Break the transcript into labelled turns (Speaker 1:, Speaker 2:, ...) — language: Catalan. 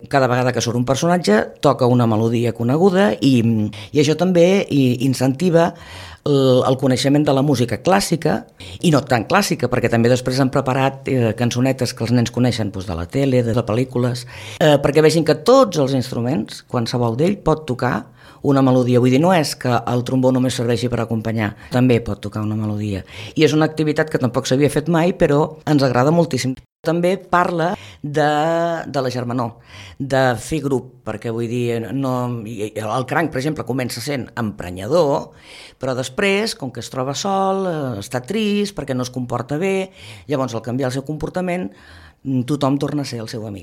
Speaker 1: Cada vegada que surt un personatge toca una melodia coneguda i això també incentiva el coneixement de la música clàssica i no tan clàssica, perquè també després han preparat cançonetes que els nens coneixen doncs, de la tele, de les pel·lícules, perquè vegin que tots els instruments, qualsevol d'ell pot tocar una melodia. Vull dir, no és que el trombó només serveixi per acompanyar, també pot tocar una melodia. I és una activitat que tampoc s'havia fet mai, però ens agrada moltíssim. També parla de la germanor, de fer grup, perquè vull dir, el cranc, per exemple, comença sent emprenyador, però després, com que es troba sol, està trist, perquè no es comporta bé, llavors al canviar el seu comportament, tothom torna a ser el seu amic.